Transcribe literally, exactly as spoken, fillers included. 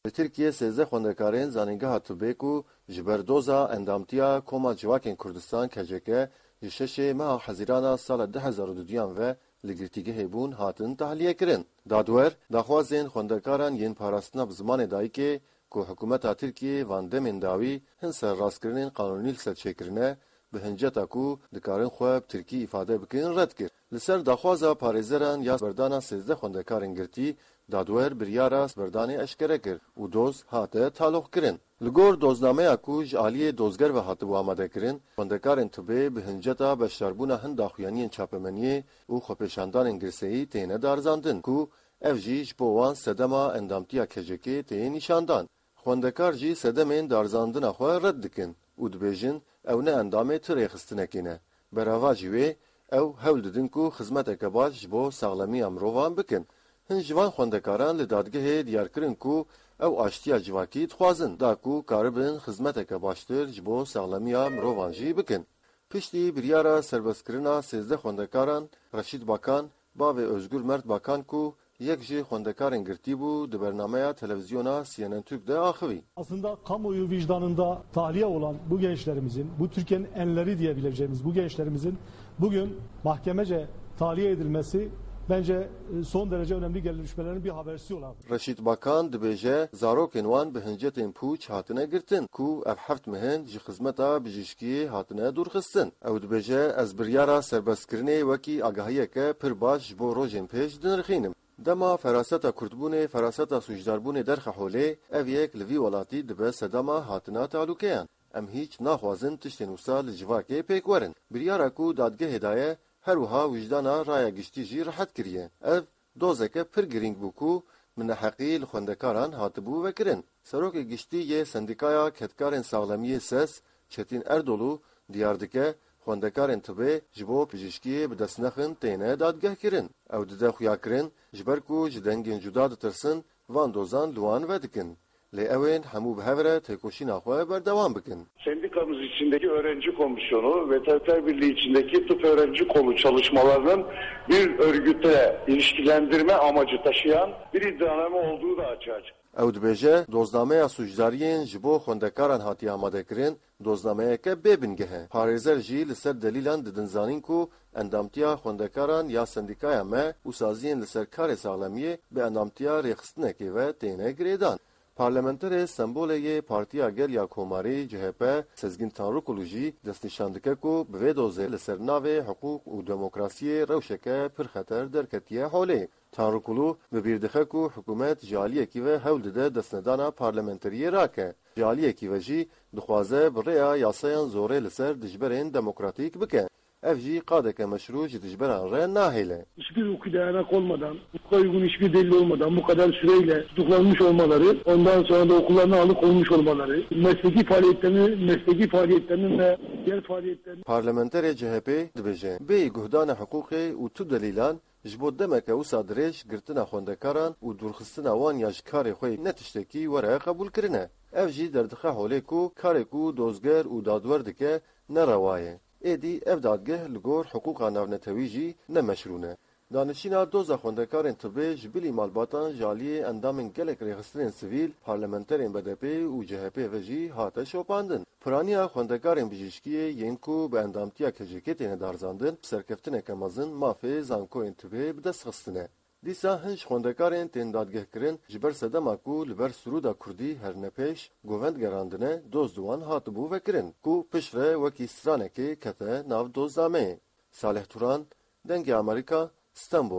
Li Tirkiyê sêzdeh xwendekarên Zanîngeha Tibê ku ji ber doza endamtiya Koma Civakên Kurdistan, K C K, ji şeşê meha Hezîrana sala du hezar û duduyan ve li girtîgehê bûn, hatin tahliyekirin. Dadwer, daxwazên xwendekaran yên parastina bi zimanê dayikê ku hikûmeta Tirkiyê van demên dawî hin serrastkirinên qanûnî li ser çêkirine, bi hinceta ku dikarin xwe bi tirkî îfade bikin, red kir. Li ser daxwaza parêzeran ya berdana sêzdeh xwendekarên girtî, dadwer biryara berdanê eşkere kir û doz hate taloqkirin. Li gor doznameya ku ji aliyê dozger ve hatibû amadekirin, xwendekarên tibê bi hinceta beşdarbûna hin daxuyaniyên çapemeniyê û xwepêşandanên girseyî têne darizandin ku ev jî ji bo wan sedema endamtiya K C K'ê tê nîşandan. Xwendekar jî sedemên darizandina xwe red dikin û dibêjin, ew ne endamê tu rêxistinekê ne. Beravajî wê, ew hewl didin ku xizmeteke baş ji bo saxlemiya mirovan bikin. Hin ji van xwendekaran li dadgehê diyar kirin ku ew aştiya civakî dixwazin, da ku karibin xizmeteke baştir ji bo saxlemiya mirovan jî bikin. Piştî biryara serbestkirina sêzdeh xwendekaran, Reşîd Bakan, bavê Özgür Mert Bakan ku yek ji xwendekarên girtî bû, di bernameya televizyona C N N Türk de axivî. Aslında kamuoyu vicdanında tahliye olan bu gençlerimizin, bu Türkiye'nin enleri diyebileceğimiz bu gençlerimizin bugün mahkemece tahliye edilmesi bence, e, son derece önemli gelişmelerin bir habercisi olarak. Reşîd Bakan dibêje, zarokên wan bi hincetên pûç hatine girtin, ku ev heft meh in ji xizmeta bijîşkiyê hatine dûrxistin. Ew dibêje, ez biryara serbestkirinê wekî agahiyeke pir baş ji bo rojên pêş dinirxînim. Dema feraseta kurdbûnê, feraseta sûcdarbûnê derxe holê, ev yek li vî welatî dibe sedema hatina tehlûkeyan. Em hîç naxwazin tiştên wisa li civakê pêk werin. Biryara ku dadgehê daye, her wiha wijdana raya giştî jî rehet kiriye. Ev dozeke pir girîng bû ku bi neheqî li xwendekaran hatibû vekirin. Serokê Giştî yê Sendîkaya Kedkarên Saxlemiyê, ses, Çetîn Erdolû diyar dike, xwendekarên tibê ji bo pijîşkiyê bi dest nexin têne dadgehkirin. Ew dide xuyakirin, ji ber ku ji dengên cuda ditirsin, van dozan li wan vedikin. Lê ew ên hemû bi hev re têkoşîna xwe berdewam bikin. Sendikamız içindeki öğrenci komisyonu ve Tabipler Birliği içindeki tıp öğrenci kolu çalışmalarının bir örgütle ilişkilendirme amacı taşıyan bir iddianame olduğu da açığa çıktı. Ew dibêje, doznameya sûcdariyên ji bo xwendekaran hatiye amadekirin, doznameyeke bê bingeh e. Parêzer jî li ser delîlan didin zanîn ku endamtiya xwendekaran ya sendîkaya me û saziyên li ser karê saxlemiyê bi endamtiya rêxistinekê ve têne girêdan. Parlamenterê Stenbolê yê Partiya Gel ya Komarî, C H P, Sezgîn Tanrikulu jî destnîşan dike ku bi vê dozê li ser navê hiqûq û demokrasiyê rewşeke pir xeter derketiye holê. Tanrikulu bi bîr dixe ku hikûmet ji aliyekî ve hewl dide destnedana parlamenteriyê rake. Ji aliyekî ve jî dixwaze bi rêya yasayan zorê li ser dijberên demokratîk bike. Ev jî qadeke meşrû ji dijberan re nahêle. Hiçbir hukuki dayanak olmadan, hukuka uygun hiçbir delil olmadan bu kadar süreyle tutuklanmış olmaları, ondan sonra da okullarına alıkonulmuş olmaları, mesleki faaliyetlerini, mesleki faaliyetlerinin ve diğer faaliyetlerini Parlamenterê C H P dibêje, bêyî guhdana hiqûqê û tu delîlan, ji bo demeke wisa dirêj girtina xwendekaran û dûrxistina wan ya ji karê xwe ne tiştekî were qebûlkirine. Ev jî derdixe holê ku karê ku dozger û dadwer dike ne rewa ye. Êdî ev dadgeh li gor hiqûqa navnetewî jî ne meşrû ne. Danişîna doza xwendekarên tibê ji bilî malbatan ji aliyê endamên gelek rêxistinên sivîl, parlamenterên B D P û C H P ve jî hate şopandin. Piraniya xwendekarên bijîşkiyê yên ku bi endamtiya K C K têne darizandin, bi serkeftineke mezin mafê zankoyên tibê bi dest xistine. Dîsa hin ji xwendekarên tên dadgehkirin ji ber sedema ku li ber sirûda kurdî herine pêş govend gerandine, doz di wan hatibû vekirin ku piştre wekî stranekê kete nav doznameyê. Salih Turan, Dengê Amerîka, Stenbol.